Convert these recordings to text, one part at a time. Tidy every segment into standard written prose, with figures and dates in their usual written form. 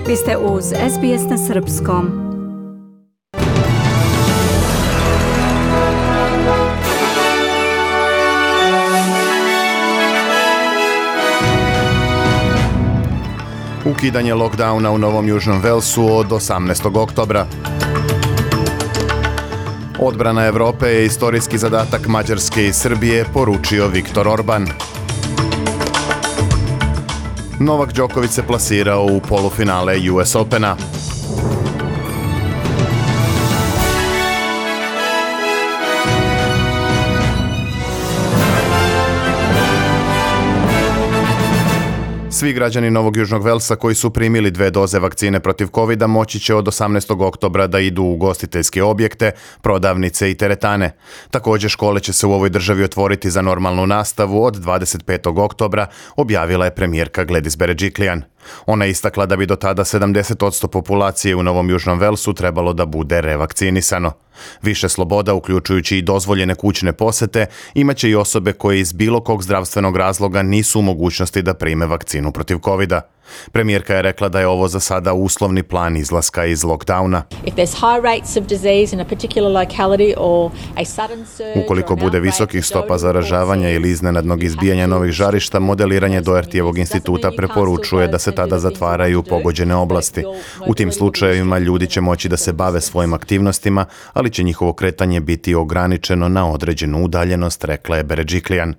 Vi ste uz SBS na srpskom. Ukidanje lockdowna u Novom Južnom Velsu od 18. oktobra. Odbrana Evrope je istorijski zadatak Mađarske i Srbije, poručio Viktor Orban. Novak Đoković se plasirao u polufinale US Opena. Svi građani Novog Južnog Velsa koji su primili 2 doze vakcine protiv covida moći će od 18. oktobra da idu u ugostiteljske objekte, prodavnice i teretane. Također škole će se u ovoj državi otvoriti za normalnu nastavu od 25. oktobra, objavila je premijerka Gladys Berejiklian. Ona je istakla da bi do tada 70% populacije u Novom Južnom Velsu trebalo da bude revakcinisano. Više sloboda, uključujući i dozvoljene kućne posete, imaće i osobe koje iz bilo kog zdravstvenog razloga nisu u mogućnosti da prime vakcinu protiv covida. Premijerka je rekla da je ovo za sada uslovni plan izlaska iz lockdowna. Ukoliko bude visokih stopa zaražavanja ili iznenadnog izbijanja novih žarišta, modeliranje Dohertyjevog instituta preporučuje da se tada zatvaraju pogođene oblasti. U tim slučajevima ljudi će moći da se bave svojim aktivnostima, ali će njihovo kretanje biti ograničeno na određenu udaljenost, rekla je Berejiklian.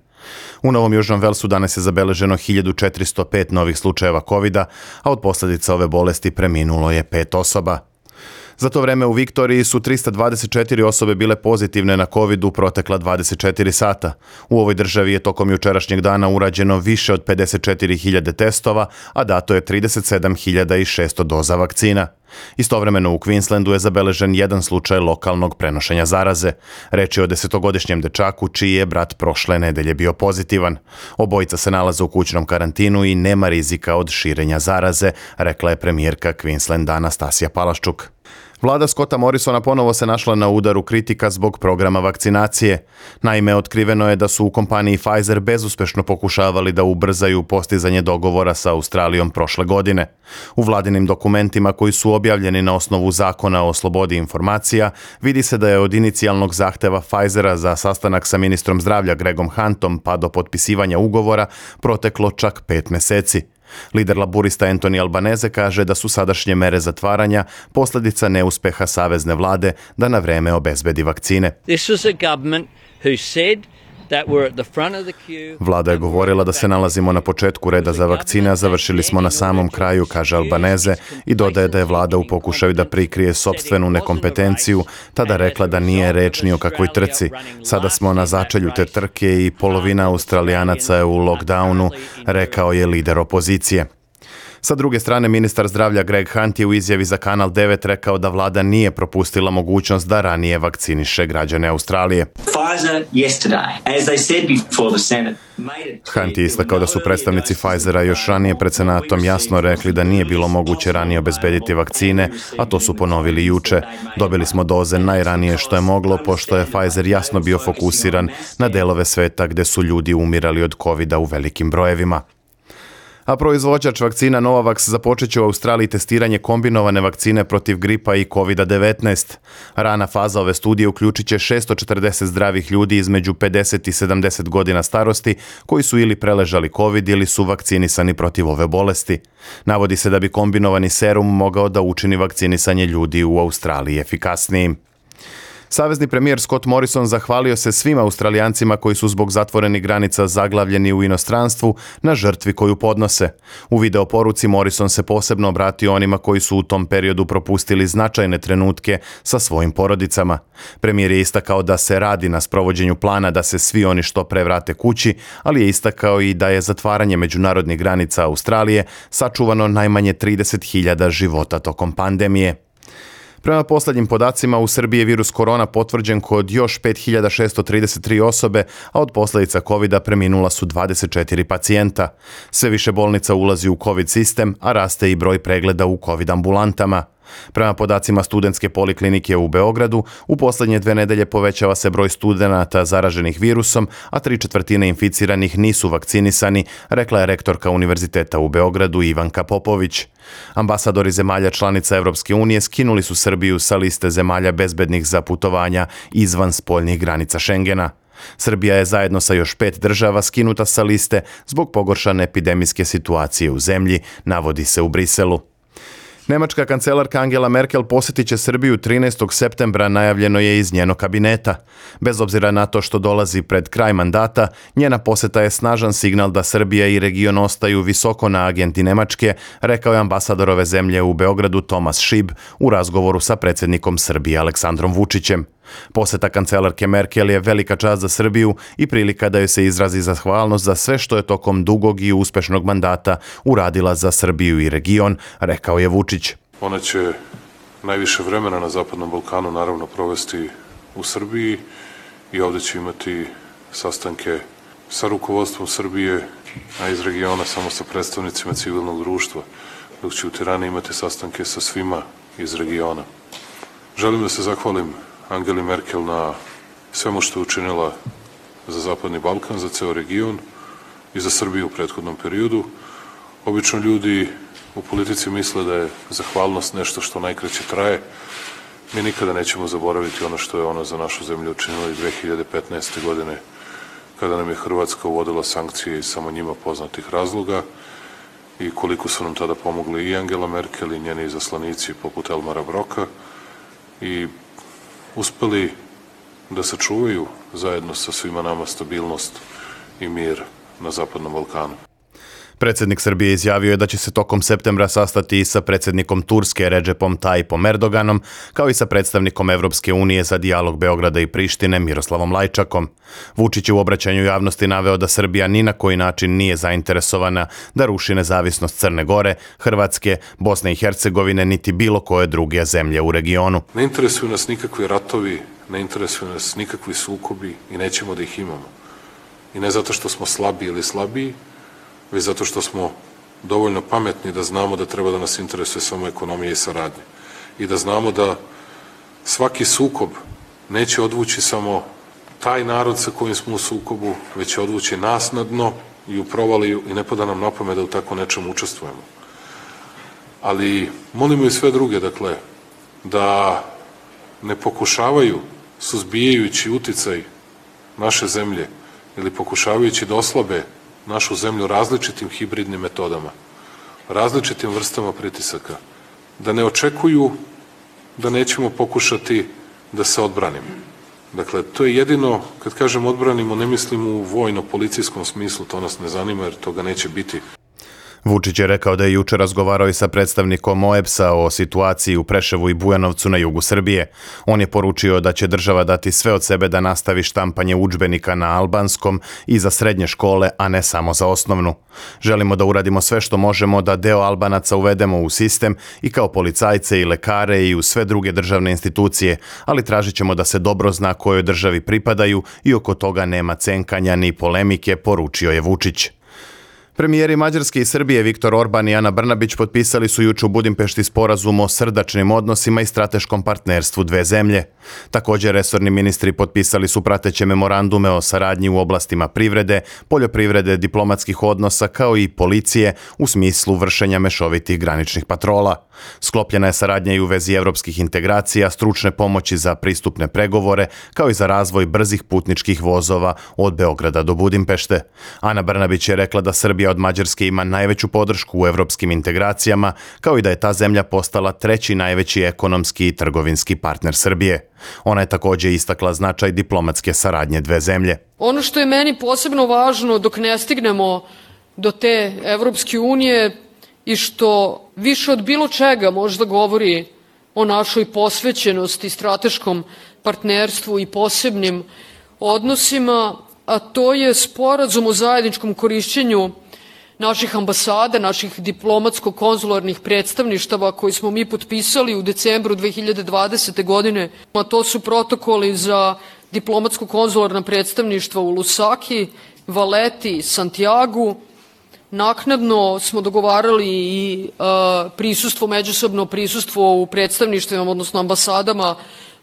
U Novom Južnom Velsu danas je zabeleženo 1405 novih slučajeva covida, a od posljedica ove bolesti preminulo je 5 osoba. Za to vreme u Viktoriji su 324 osobe bile pozitivne na covid u protekla 24 sata. U ovoj državi je tokom jučerašnjeg dana urađeno više od 54.000 testova, a dato je 37.600 doza vakcina. Istovremeno u Queenslandu je zabeležen jedan slučaj lokalnog prenošenja zaraze. Reč je o 10-godišnjem dečaku čiji je brat prošle nedelje bio pozitivan. Obojica se nalaze u kućnom karantinu i nema rizika od širenja zaraze, rekla je premijerka Queenslanda Anastasija Palaščuk. Vlada Scotta Morrisona ponovo se našla na udaru kritika zbog programa vakcinacije. Naime, otkriveno je da su u kompaniji Pfizer bezuspešno pokušavali da ubrzaju postizanje dogovora sa Australijom prošle godine. U vladinim dokumentima koji su objavljeni na osnovu zakona o slobodi informacija, vidi se da je od inicijalnog zahteva Pfizera za sastanak sa ministrom zdravlja Gregom Huntom pa do potpisivanja ugovora proteklo čak 5 meseci. Lider laburista Anthony Albanese kaže da su sadašnje mere zatvaranja posljedica neuspeha savezne vlade da na vreme obezbedi vakcine. Vlada je govorila da se nalazimo na početku reda za vakcine, a završili smo na samom kraju, kaže Albanese, i dodaje da je vlada u pokušaju da prikrije sopstvenu nekompetenciju tada rekla da nije reč ni o kakvoj trci. Sada smo na začelju te trke i polovina Australijanaca je u lockdownu, rekao je lider opozicije. Sa druge strane, ministar zdravlja Greg Hunt je u izjavi za Kanal 9 rekao da vlada nije propustila mogućnost da ranije vakciniše građane Australije. Hunt je istakao da su predstavnici Pfizera još ranije pred Senatom jasno rekli da nije bilo moguće ranije obezbediti vakcine, a to su ponovili juče. Dobili smo doze najranije što je moglo, pošto je Pfizer jasno bio fokusiran na delove sveta gde su ljudi umirali od covida u velikim brojevima. A proizvođač vakcina Novavax započet će u Australiji testiranje kombinovane vakcine protiv gripa i COVID-19. Rana faza ove studije uključit će 640 zdravih ljudi između 50 i 70 godina starosti koji su ili preležali COVID ili su vakcinisani protiv ove bolesti. Navodi se da bi kombinovani serum mogao da učini vakcinisanje ljudi u Australiji efikasnijim. Savezni premijer Scott Morrison zahvalio se svim Australijancima koji su zbog zatvorenih granica zaglavljeni u inostranstvu na žrtvi koju podnose. U videoporuci Morrison se posebno obratio onima koji su u tom periodu propustili značajne trenutke sa svojim porodicama. Premijer je istakao da se radi na sprovođenju plana da se svi oni što pre vrate kući, ali je istakao i da je zatvaranje međunarodnih granica Australije sačuvano najmanje 30.000 života tokom pandemije. Prema posljednjim podacima, u Srbiji je virus korona potvrđen kod još 5.633 osobe, a od posljedica covida preminula su 24 pacijenta. Sve više bolnica ulazi u covid sistem, a raste i broj pregleda u covid ambulantama. Prema podacima studentske poliklinike u Beogradu, u posljednje 2 nedelje povećava se broj studenata zaraženih virusom, a 3/4 inficiranih nisu vakcinisani, rekla je rektorka Univerziteta u Beogradu Ivanka Popović. Ambasadori zemalja članica Evropske unije skinuli su Srbiju sa liste zemalja bezbednih za putovanja izvan spoljnih granica Šengena. Srbija je zajedno sa još 5 država skinuta sa liste zbog pogoršane epidemijske situacije u zemlji, navodi se u Briselu. Nemačka kancelarka Angela Merkel posjetit će Srbiju 13. septembra, najavljeno je iz njenog kabineta. Bez obzira na to što dolazi pred kraj mandata, njena posjeta je snažan signal da Srbija i region ostaju visoko na agenti Nemačke, rekao je ambasador ove zemlje u Beogradu Tomas Šib u razgovoru sa predsjednikom Srbije Aleksandrom Vučićem. Posjeta kancelarke Merkel je velika čast za Srbiju i prilika da joj se izrazi zahvalnost za sve što je tokom dugog i uspešnog mandata uradila za Srbiju i region, rekao je Vučić. Ona će najviše vremena na Zapadnom Balkanu naravno provesti u Srbiji i ovdje će imati sastanke sa rukovodstvom Srbije, a iz regiona samo sa predstavnicima civilnog društva, dok će u Tirani imati sastanke sa svima iz regiona. Želim da se zahvalim Angeli Merkel na svemu što je učinila za Zapadni Balkan, za ceo region i za Srbiju u prethodnom periodu. Obično ljudi u politici misle da je zahvalnost nešto što najkraće traje. Mi nikada nećemo zaboraviti ono što je ona za našu zemlju učinila i 2015. godine, kada nam je Hrvatska uvodila sankcije iz samo njima poznatih razloga i koliko su nam tada pomogli i Angela Merkel i njeni izaslanici poput Elmara Broka i uspeli da sačuvaju zajedno sa svima nama stabilnost i mir na Zapadnom Balkanu. Predsjednik Srbije izjavio je da će se tokom septembra sastati i sa predsjednikom Turske Redžepom Tayyipom Erdoganom, kao i sa predstavnikom Evropske unije za dijalog Beograda i Prištine Miroslavom Lajčakom. Vučić je u obraćanju javnosti naveo da Srbija ni na koji način nije zainteresovana da ruši nezavisnost Crne Gore, Hrvatske, Bosne i Hercegovine, niti bilo koje druge zemlje u regionu. Ne interesuju nas nikakvi ratovi, ne interesuju nas nikakvi sukobi i nećemo da ih imamo. I ne zato što smo slabi ili slabiji, već zato što smo dovoljno pametni da znamo da treba da nas interesuje samo ekonomija i saradnja. I da znamo da svaki sukob neće odvući samo taj narod sa kojim smo u sukobu, već će odvući nas na dno i u provaliju i ne pada nam na pamet da u tako nečemu učestvujemo. Ali molimo i sve druge, dakle, da ne pokušavaju, suzbijajući uticaj naše zemlje ili pokušavajući da oslabe našu zemlju različitim hibridnim metodama, različitim vrstama pritisaka, da ne očekuju da nećemo pokušati da se odbranimo. Dakle, to je jedino, kad kažem odbranimo, ne mislim u vojno-policijskom smislu, to nas ne zanima jer toga neće biti. Vučić je rekao da je juče razgovarao i sa predstavnikom OEBS-a o situaciji u Preševu i Bujanovcu na jugu Srbije. On je poručio da će država dati sve od sebe da nastavi štampanje udžbenika na albanskom i za srednje škole, a ne samo za osnovnu. Želimo da uradimo sve što možemo da deo Albanaca uvedemo u sistem i kao policajce i lekare i u sve druge državne institucije, ali tražit ćemo da se dobro zna kojoj državi pripadaju i oko toga nema cenkanja ni polemike, poručio je Vučić. Premijeri Mađarske i Srbije Viktor Orban i Ana Brnabić potpisali su juče u Budimpešti sporazum o srdačnim odnosima i strateškom partnerstvu dve zemlje. Također, resorni ministri potpisali su prateće memorandume o saradnji u oblastima privrede, poljoprivrede, diplomatskih odnosa kao i policije u smislu vršenja mešovitih graničnih patrola. Sklopljena je saradnja i u vezi evropskih integracija, stručne pomoći za pristupne pregovore, kao i za razvoj brzih putničkih vozova od Beograda do Budimpešte. Ana Brnabić je rekla da Srbija od Mađarske ima najveću podršku u evropskim integracijama, kao i da je ta zemlja postala treći najveći ekonomski i trgovinski partner Srbije. Ona je također istakla značaj diplomatske saradnje dve zemlje. Ono što je meni posebno važno dok ne stignemo do te Evropske unije i što više od bilo čega možda govori o našoj posvećenosti, strateškom partnerstvu i posebnim odnosima, a to je sporazum o zajedničkom korišćenju naših ambasada, naših diplomatsko-konzularnih predstavništava koji smo mi potpisali u decembru 2020. godine. A to su protokoli za diplomatsko-konzularna predstavništva u Lusaki, Valeti, Santiagu, Naknadno smo dogovarali i međusobno prisustvo u predstavništvima, odnosno ambasadama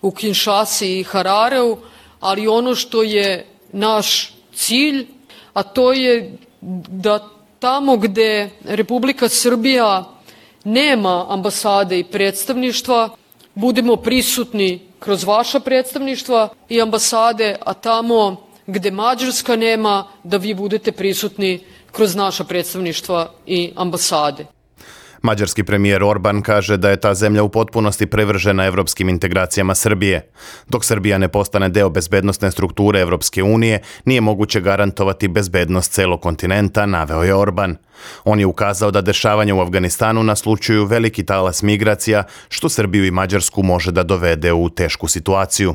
u Kinshasi i Harareu, ali ono što je naš cilj, a to je da tamo gde Republika Srbija nema ambasade i predstavništva, budemo prisutni kroz vaša predstavništva i ambasade, a tamo gde Mađarska nema, da vi budete prisutni kroz naša predstavništva i ambasade. Mađarski premijer Orban kaže da je ta zemlja u potpunosti privržena evropskim integracijama Srbije. Dok Srbija ne postane deo bezbednosne strukture Evropske unije, nije moguće garantovati bezbednost celog kontinenta, naveo je Orban. On je ukazao da dešavanja u Afganistanu naslučuju veliki talas migracija, što Srbiju i Mađarsku može da dovede u tešku situaciju.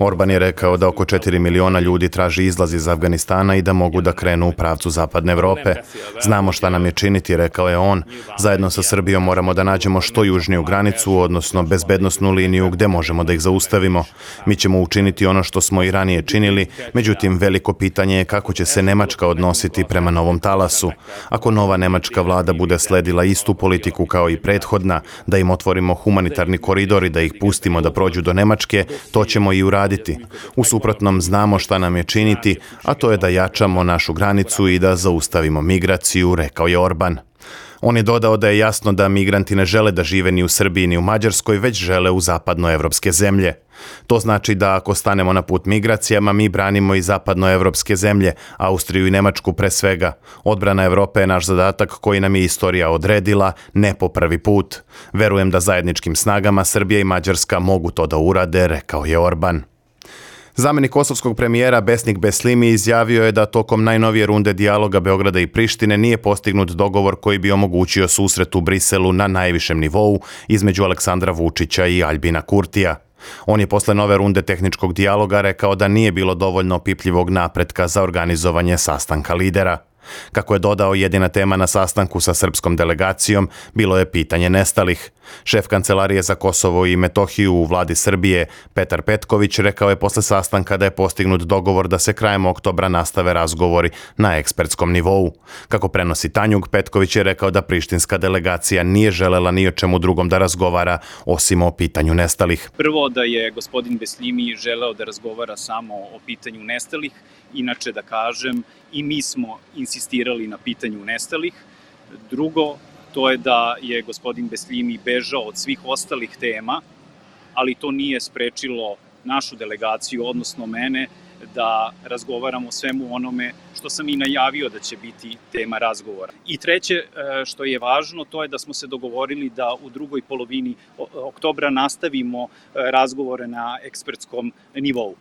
Orban je rekao da oko 4 miliona ljudi traži izlaz iz Afganistana i da mogu da krenu u pravcu zapadne Evrope. Znamo šta nam je činiti, rekao je on. Zajedno sa Srbijom moramo da nađemo što južniju granicu, odnosno bezbednosnu liniju gde možemo da ih zaustavimo. Mi ćemo učiniti ono što smo i ranije činili, međutim veliko pitanje je kako će se Nemačka odnositi prema novom talasu. Ako nova nemačka vlada bude sledila istu politiku kao i prethodna, da im otvorimo humanitarni koridor i da ih pustimo da prođu do Nemačke, to ćemo i uraditi. U suprotnom znamo šta nam je činiti, a to je da jačamo našu granicu i da zaustavimo migraciju, rekao je Orban. On je dodao da je jasno da migranti ne žele da žive ni u Srbiji ni u Mađarskoj, već žele u zapadnoevropske zemlje. To znači da ako stanemo na put migracijama, mi branimo i zapadnoevropske zemlje, Austriju i Nemačku pre svega. Odbrana Evrope je naš zadatak koji nam je istorija odredila, ne po prvi put. Verujem da zajedničkim snagama Srbija i Mađarska mogu to da urade, rekao je Orban. Zamenik kosovskog premijera Besnik Beslimi izjavio je da tokom najnovije runde dijaloga Beograda i Prištine nije postignut dogovor koji bi omogućio susret u Briselu na najvišem nivou između Aleksandra Vučića i Aljbina Kurtija. On je posle nove runde tehničkog dijaloga rekao da nije bilo dovoljno opipljivog napretka za organizovanje sastanka lidera. Kako je dodao, jedina tema na sastanku sa srpskom delegacijom bilo je pitanje nestalih. Šef Kancelarije za Kosovo i Metohiju u vladi Srbije, Petar Petković, rekao je posle sastanka da je postignut dogovor da se krajem oktobra nastave razgovori na ekspertskom nivou. Kako prenosi Tanjug, Petković je rekao da prištinska delegacija nije želela ni o čemu drugom da razgovara, osim o pitanju nestalih. Prvo, da je gospodin Beslimi želeo da razgovara samo o pitanju nestalih, inače da kažem, i mi smo insistirali na pitanju nestalih. Drugo, to je da je gospodin Beslimi bežao od svih ostalih tema, ali to nije sprečilo našu delegaciju, odnosno mene, da razgovaramo o svemu onome što sam i najavio da će biti tema razgovora. I treće, što je važno, to je da smo se dogovorili da u drugoj polovini oktobra nastavimo razgovore na ekspertskom nivou.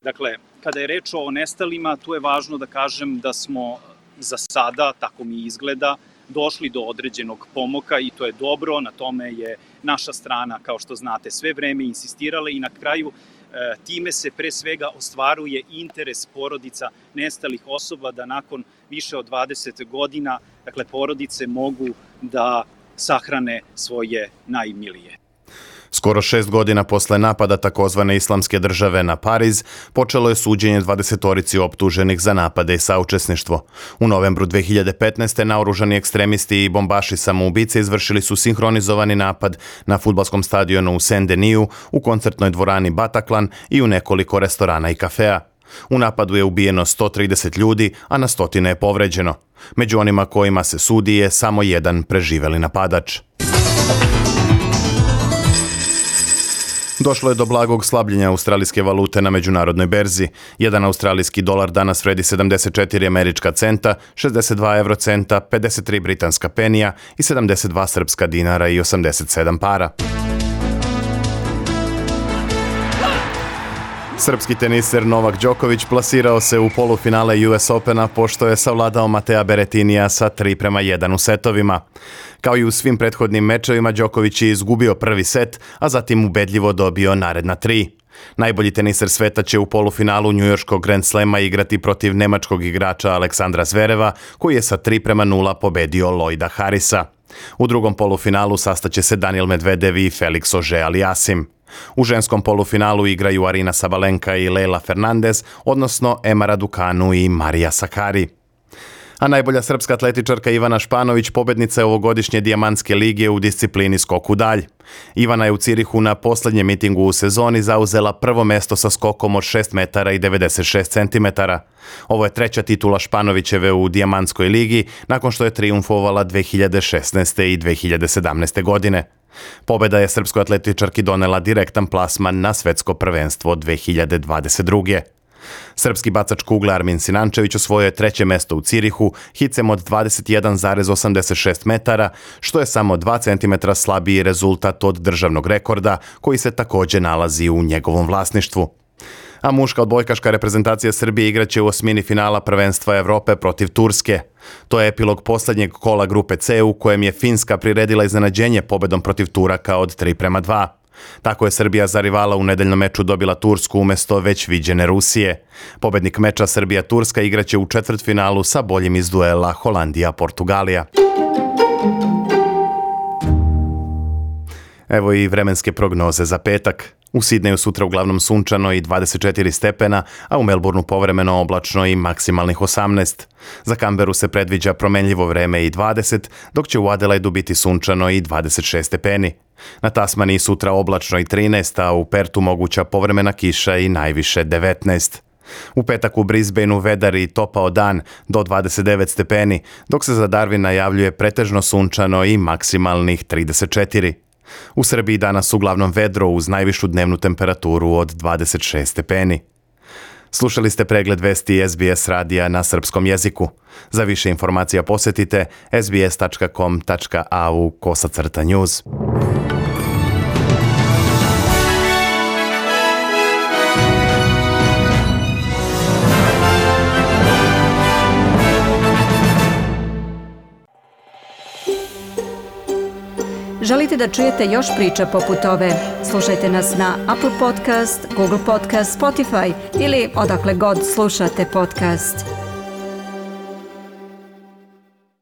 Dakle, kada je reč o nestalima, tu je važno da kažem da smo za sada, tako mi izgleda, došli do određenog pomoka i to je dobro, na tome je naša strana, kao što znate, sve vreme insistirala i na kraju time se pre svega ostvaruje interes porodica nestalih osoba da nakon više od 20 godina, dakle, porodice mogu da sahrane svoje najmilije. Skoro 6 godina posle napada takozvane Islamske države na Pariz, počelo je suđenje 20-torici optuženih za napade i saučesništvo. U novembru 2015. naoružani ekstremisti i bombaši samoubice izvršili su sinhronizovani napad na fudbalskom stadionu u Saint-Denis, u koncertnoj dvorani Bataclan i u nekoliko restorana i kafea. U napadu je ubijeno 130 ljudi, a na stotine je povređeno. Među onima kojima se sudi je samo jedan preživeli napadač. Došlo je do blagog slabljenja australijske valute na međunarodnoj berzi. Jedan australijski dolar danas vredi 74 američka centa, 62 eurocenta, 53 britanska penija i 72 srpska dinara i 87 para. Srpski teniser Novak Đoković plasirao se u polufinale US Opena pošto je savladao Matea Beretinija sa 3:1 u setovima. Kao i u svim prethodnim mečevima, Đoković je izgubio prvi set, a zatim ubedljivo dobio naredna 3. Najbolji teniser sveta će u polufinalu njujorškog Grand Slema igrati protiv nemačkog igrača Aleksandra Zvereva, koji je sa 3:0 pobedio Lloyda Harrisa. U drugom polufinalu sastaće se Daniil Medvedev i Felix Auger-Aliassime. U ženskom polufinalu igraju Arina Sabalenka i Leyla Fernandez, odnosno Emma Raducanu i Marija Sakkari. A najbolja srpska atletičarka Ivana Španović pobednica je ovogodišnje Dijamantske lige u disciplini skok u dalj. Ivana je u Cirihu na posljednjem mitingu u sezoni zauzela prvo mesto sa skokom od 6 metara i 96 centimetara. Ovo je treća titula Španovićeve u Dijamantskoj ligi nakon što je trijumfovala 2016. i 2017. godine. Pobjeda je srpskoj atletičarki donela direktan plasman na svetsko prvenstvo 2022. Srpski bacač kugle Armin Sinančević osvojio je treće mesto u Cirihu hicem od 21,86 metara, što je samo 2 cm slabiji rezultat od državnog rekorda koji se također nalazi u njegovom vlasništvu. A muška odbojkaška reprezentacija Srbije igraće u osmini finala prvenstva Evrope protiv Turske. To je epilog posljednjeg kola grupe C u kojem je Finska priredila iznenađenje pobedom protiv Turaka od 3:2. Tako je Srbija za rivala u nedeljnom meču dobila Tursku umjesto već viđene Rusije. Pobednik meča Srbija-Turska igraće u četvrtfinalu sa boljim iz duela Holandija-Portugalija. Evo i vremenske prognoze za petak. U Sidneju sutra uglavnom sunčano i 24 stepena, a u Melbourneu povremeno oblačno i maksimalnih 18. Za Canberu se predviđa promenljivo vreme i 20, dok će u Adelaidu biti sunčano i 26 stepeni. Na Tasmaniji sutra oblačno i 13, a u Pertu moguća povremena kiša i najviše 19. U petak u Brisbaneu vedar i topao dan do 29 stepeni, dok se za Darwin najavljuje pretežno sunčano i maksimalnih 34. U Srbiji danas uglavnom vedro uz najvišu dnevnu temperaturu od 26 stepeni. Slušali ste pregled vesti SBS radija na srpskom jeziku. Za više informacija posjetite sbs.com.au/news. Želite da čujete još priča poput ove? Slušajte nas na Apple Podcast, Google Podcast, Spotify ili odakle god slušate podcast.